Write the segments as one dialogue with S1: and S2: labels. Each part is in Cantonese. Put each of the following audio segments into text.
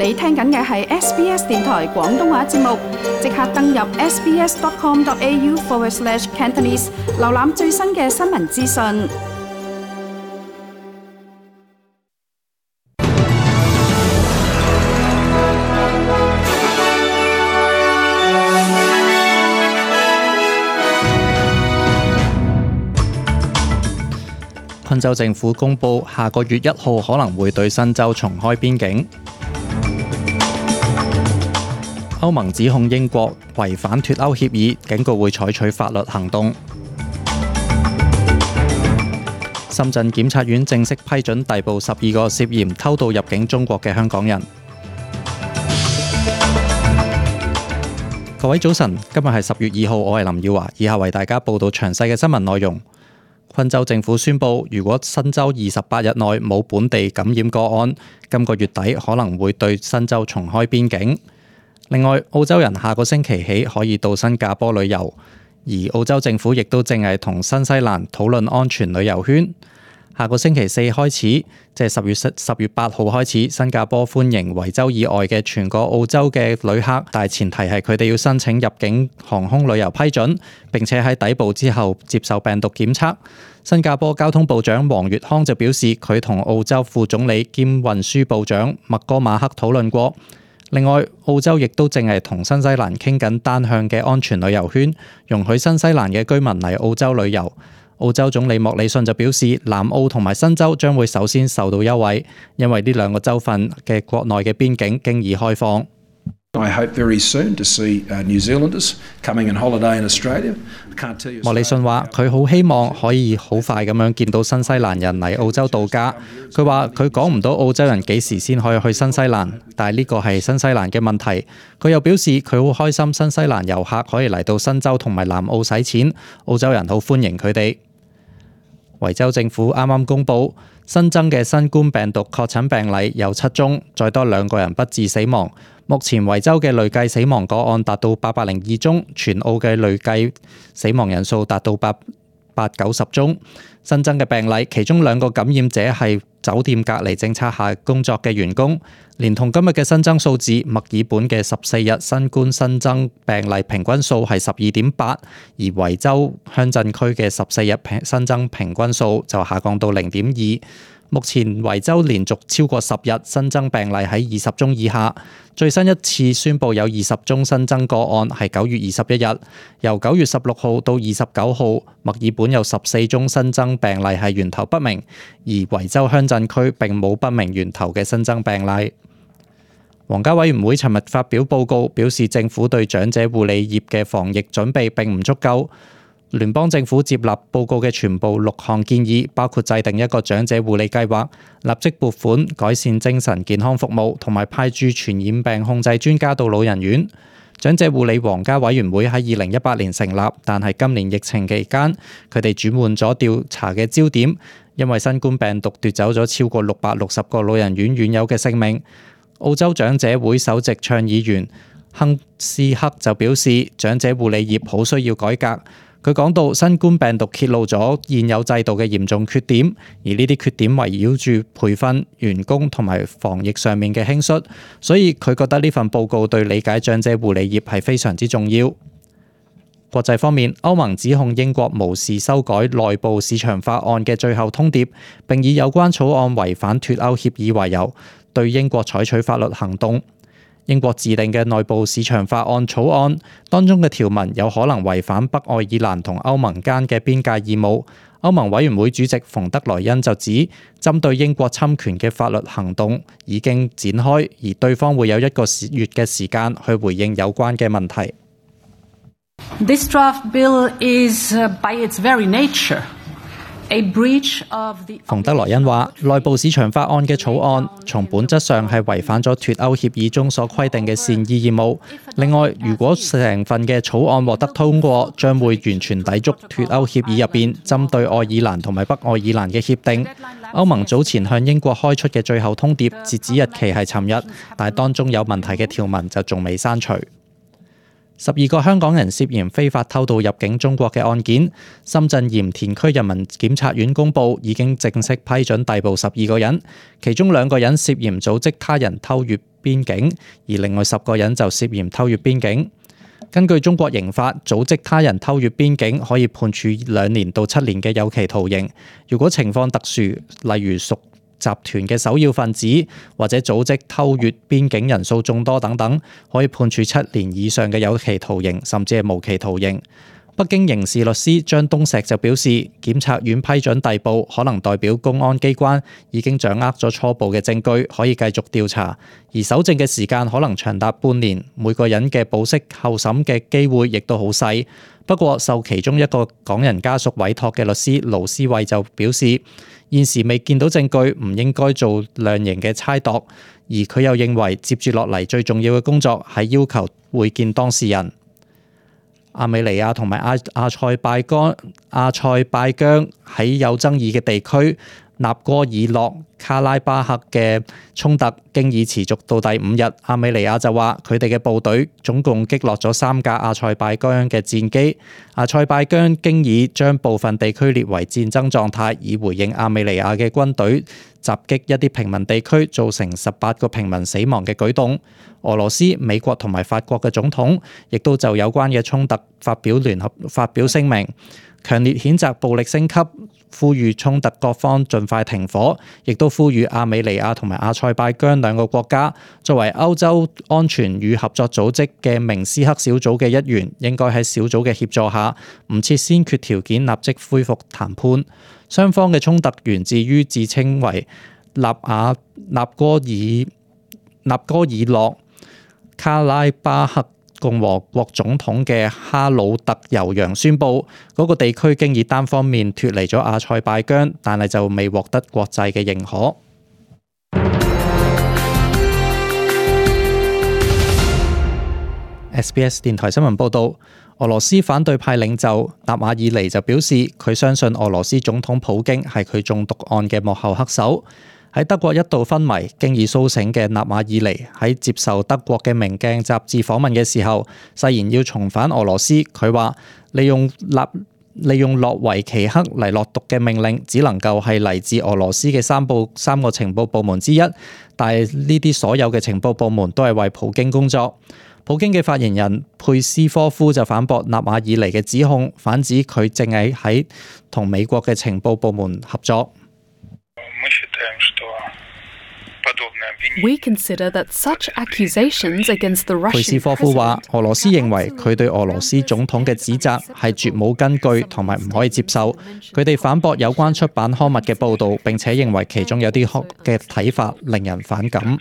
S1: 你聽緊嘅係 SBS 電台廣東話節目，即刻登入 sbs.com.au/Cantonese 瀏覽最新嘅新聞資訊。
S2: 昆州政府公布，下個月1號可能會對新州重開邊境。歐盟指控英國違反脫歐協議，警告會採取法律行動。深圳檢察院正式批准逮捕12個涉嫌偷渡入境中國嘅香港人。各位早晨，今日係10月2號，我係林耀華，以下為大家報道詳細嘅新聞內容。昆州政府宣布，如果新州28日內冇本地感染個案，今個月底可能會對新州重開邊境。另外，澳洲人下個星期起可以到新加坡旅遊，而澳洲政府亦都正係同新西蘭討論安全旅遊圈。下個星期四開始，即係10月8號開始，新加坡歡迎維州以外嘅全個澳洲嘅旅客，但係前提係佢哋要申請入境航空旅遊批准，並且喺抵埗之後接受病毒檢測。新加坡交通部長黃月康就表示，佢同澳洲副總理兼運輸部長麥哥馬克討論過。另外，澳洲亦都正係同新西蘭傾緊單向嘅安全旅遊圈，容許新西蘭嘅居民嚟澳洲旅遊。澳洲總理莫里遜就表示，南澳同埋新州將會首先受到優惠，因為呢兩個州份嘅國內嘅邊境經已開放。
S3: I hope very soon to see New Zealanders coming on holiday in Australia.
S2: 莫里遜話：佢好希望可以好快咁樣見到新西蘭人嚟澳洲度假。佢話佢講唔到澳洲人幾時先可以去新西蘭，但係呢個係新西蘭嘅問題。佢又表示佢好開心新西蘭遊客可以嚟到新州同埋南澳使錢，澳洲人好歡迎佢哋。維州政府啱啱公布新增嘅新冠病毒確診病例有7宗，再多2個人不治死亡。目前維州嘅累計死亡個案達到802宗，全澳嘅累計死亡人數達到890宗。新增嘅病例，其中2個感染者係酒店隔離政策下工作嘅員工。連同今日嘅新增數字，墨爾本嘅14日新冠新增病例平均數係12.8，而維州鄉鎮區嘅14日新增平均數就下降到0.2。目前維州連續超過10日新增病例喺20宗以下，最新一次宣布有20宗新增個案係9月21日，由9月16號到29號，墨爾本有14宗新增病例係源頭不明，而維州鄉鎮區並冇不明源頭嘅新增病例。皇家委員會尋日發表報告，表示政府對長者護理業嘅防疫準備並唔足夠。聯邦政府接納報告嘅全部6項建議，包括制定一個長者護理計劃、立即撥款改善精神健康服務，同埋派駐傳染病控制專家到老人院。長者護理皇家委員會喺2018年成立，但係今年疫情期間，佢哋轉換咗調查嘅焦點，因為新冠病毒奪走咗超過660個老人院院友嘅性命。澳洲長者會首席倡議員亨斯克就表示，長者護理業好需要改革。佢講到，新冠病毒揭露咗現有制度嘅嚴重缺點，而呢啲缺點圍繞住培訓、員工同埋防疫上面嘅輕率，所以佢覺得呢份報告對理解長者護理業係非常之重要。國際方面，歐盟指控英國無視修改內部市場法案嘅最後通牒，並以有關草案違反脫歐協議為由，對英國採取法律行動。英國制定嘅內部市場法案草案當中嘅條文有可能違反北愛爾蘭同歐盟間嘅邊界義務。歐盟委員會主席馮德萊恩就指，針對英國侵權嘅法律行動已經展開，而對方會有1個月嘅時間去回應有關嘅問題。
S4: This draft bill is, by its very nature,
S2: 馮德萊恩話：內部市場法案嘅草案從本質上係違反咗脫歐協議中所規定嘅善意義務。另外，如果成份嘅草案獲得通過，將會完全抵觸脫歐協議入邊針對愛爾蘭同埋北愛爾蘭嘅協定。歐盟早前向英國開出嘅最後通牒截止日期係尋日，但係當中有問題嘅條文就仲未刪除。12個香港人涉嫌非法偷渡入境中國嘅案件，深圳鹽田區人民檢察院公佈已經正式批准逮捕12個人，其中2個人涉嫌組織他人偷越邊境，而另外10個人就涉嫌偷越邊境。根據中國刑法，組織他人偷越邊境可以判處2年到7年嘅有期徒刑，如果情況特殊，例如屬集團嘅首要分子或者組織偷越邊境人數眾多等等，可以判處7年以上嘅有期徒刑，甚至係無期徒刑。北京刑事律師張東石就表示，檢察院批准逮捕，可能代表公安機關已經掌握咗初步嘅證據，可以繼續調查，而搜證嘅時間可能長達半年，每個人嘅保釋候審嘅機會亦都好細。不過，受其中一個港人家屬委託嘅律師盧思慧就表示，現時未見到證據，唔應該做量刑嘅猜度，而佢又認為接住落嚟最重要嘅工作係要求會見當事人。亞美尼亞同埋阿塞拜疆喺有爭議嘅地區納戈爾諾卡拉巴克嘅衝突經已持續到第5日，亞美尼亞就話佢哋嘅部隊總共擊落咗3架阿塞拜疆嘅戰機。阿塞拜疆經已將部分地區列為戰爭狀態，以回應亞美尼亞嘅軍隊襲擊一啲平民地區，造成18個平民死亡嘅舉動。俄羅斯、美國同埋法國嘅總統亦都就有關嘅衝突發表聲明，強烈譴責暴力升級，呼籲衝突各方盡快停火，亦都呼籲亞美尼亞同埋阿塞拜疆2個國家作為歐洲安全與合作組織嘅明斯克小組嘅一員，應該喺小組嘅協助下，唔設先決條件，立即恢復談判。雙方嘅衝突源自於自稱為納戈爾諾卡拉巴克共和國總統嘅哈魯特尤揚宣布，嗰個地區經已單方面脫離咗阿塞拜疆，但係就未獲得國際嘅認可。SBS 電台新聞報導，俄羅斯反對派領袖納瓦爾尼就表示，佢相信俄羅斯總統普京係佢中毒案嘅幕後黑手。喺德國一度昏迷、經已蘇醒嘅納瓦爾尼喺接受德國嘅明鏡雜誌訪問嘅時候，誓言要重返俄羅斯。佢話利用諾維奇克嚟落毒嘅命令，只能夠係嚟自俄羅斯嘅三個情報部門之一，但係呢啲所有嘅情報部門都係為普京工作。普京嘅發言人佩斯科夫就反駁納瓦爾尼嘅指控，反指佢正係喺同美國嘅情報部門合作。
S1: We consider that such accusations against the Russian
S2: 佩斯科夫話：俄羅斯認為佢對俄羅斯總統嘅指責係絕冇根據同埋唔可以接受。佢哋反駁有關出版刊物嘅報導，並且認為其中有啲嘅睇法令人反感。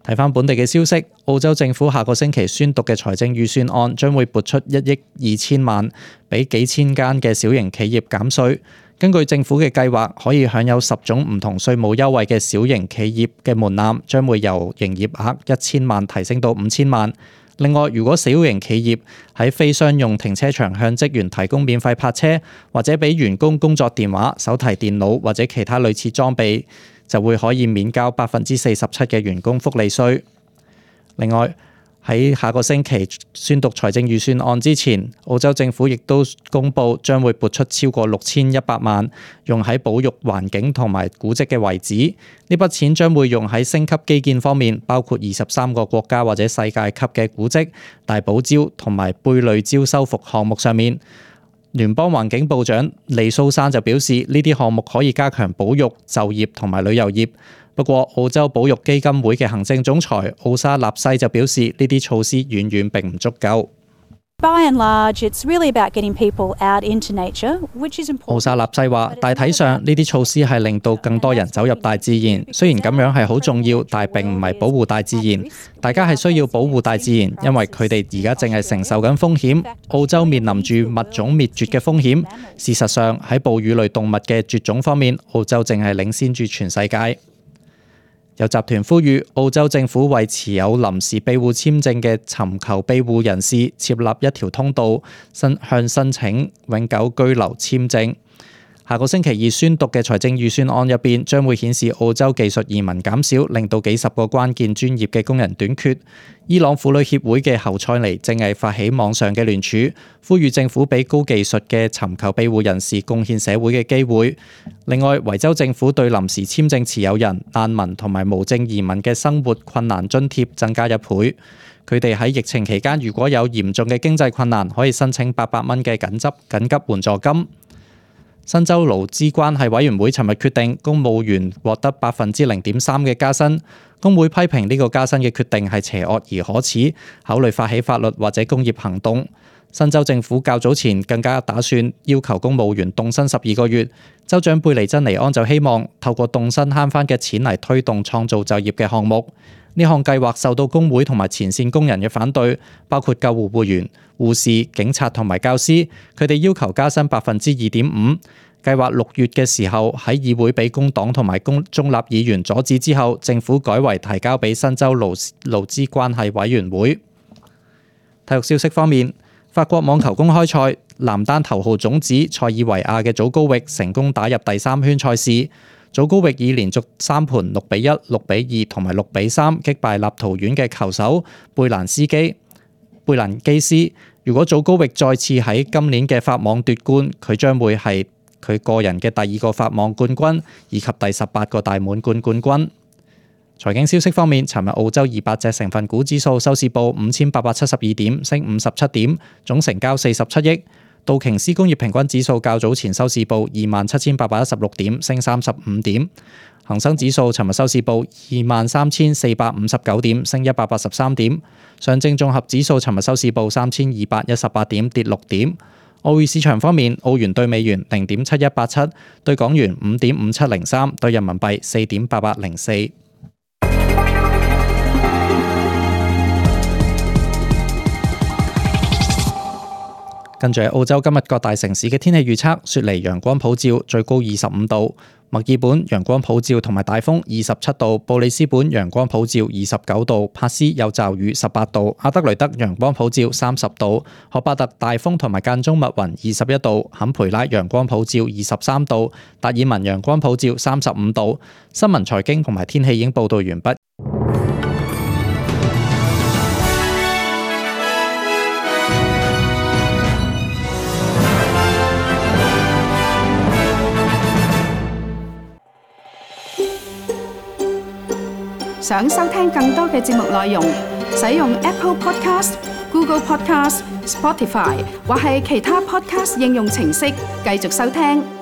S2: 睇返本地嘅消息，澳洲政府下個星期宣讀嘅財政預算案將會撥出1億2千萬，俾幾千間嘅小型企業減稅。根據政府嘅計劃，可以享有10種唔同稅務優惠嘅小型企業嘅門檻將會由營業額1000萬提升到5000萬。另外，如果小型企業喺非商用停車場向職員提供免費泊車，或者俾員工工作電話、手提電腦或者其他類似裝備，就會可以免交47%嘅員工福利稅。另外，喺下個星期宣讀財政預算案之前，澳洲政府亦都公布將會撥出超過6100萬，用喺保育環境同埋古蹟嘅遺址。呢筆錢將會用喺升級基建方面，包括23個國家或者世界級嘅古蹟、大堡礁同埋貝類礁修復項目上面。聯邦環境部長利蘇珊就表示，呢啲項目可以加強保育、就業同埋旅遊業。不過，澳洲保育基金會嘅行政總裁奧沙納西就表示，呢啲措施遠遠並唔足夠。
S5: By and large, it's really about getting people out into nature, which is important.
S2: 奧沙納西話：大體上呢啲措施係令到更多人走入大自然，雖然咁樣係好重要，但係並唔係保護大自然。大家係需要保護大自然，因為佢哋而家正係承受緊風險。澳洲面臨住物種滅絕嘅風險。事實上喺哺乳類動物嘅絕種方面，澳洲正係領先住全世界。有集團呼籲澳洲政府為持有臨時庇護簽證嘅尋求庇護人士設立一條通道，向申請永久居留簽證。下個星期二宣讀嘅財政預算案入邊，將會顯示澳洲技術移民減少，令到幾十個關鍵專業嘅工人短缺。伊朗婦女協會嘅侯賽尼正係發起網上嘅聯署，呼籲政府俾高技術嘅尋求庇護人士貢獻社會嘅機會。另外，維州政府對臨時簽證持有人、難民同埋無證移民嘅生活困難津貼增加1倍。佢哋喺疫情期間如果有嚴重嘅經濟困難，可以申請800蚊嘅緊急援助金。新州勞資關係委員會尋日決定，公務員獲得0.3%嘅加薪。工會批評呢個加薪嘅決定係邪惡而可恥，考慮發起法律或者工業行動。新州政府較早前更加打算要求公務員凍薪12個月。州長貝尼珍尼安就希望透過凍薪慳返嘅錢嚟推動創造就業嘅項目。呢項計劃受到工會同埋前線工人嘅反對，包括救護護員、護士、警察同埋教師，佢哋要求加薪2.5%。計劃6月嘅時候喺議會俾工黨同埋中立議員阻止之後，政府改為提交俾新州勞資關係委員會。體育消息方面，法國網球公開賽男單頭號種子塞爾維亞嘅祖高域成功打入第3圈賽事。祖高域以連續3盤6-1、6-2同埋6-3擊敗立陶宛嘅球手貝蘭基斯。如果祖高域再次喺今年嘅法網奪冠，佢將會係佢個人嘅第2個法網冠軍，以及第18個大滿貫冠軍。財經消息方面，尋日澳洲200隻成分股指數收市報5872點，升57點，總成交47億。道瓊斯工業平均指數較早前收市報27,816點，升35點。恒生指數尋日收市報23,459點，升183點。上證綜合指數尋日收市報3,218點，跌6點。澳匯市場方面，澳元對美元0.7187，對港元5.5703，對人民幣4.8804。跟住係澳洲今日各大城市嘅天氣預測：雪梨陽光普照，最高25度；墨爾本陽光普照同埋大風27度；布里斯本陽光普照29度；珀斯有驟雨18度；阿德雷德陽光普照30度；荷巴特大風同埋間中密雲21度；坎培拉陽光普照23度；達爾文陽光普照35度。新聞財經同埋天氣已經報道完畢。
S6: 想收聽更多嘅節目內容，使用 Apple Podcast、Google Podcast、Spotify 或係其他 Podcast 應用程式繼續收聽。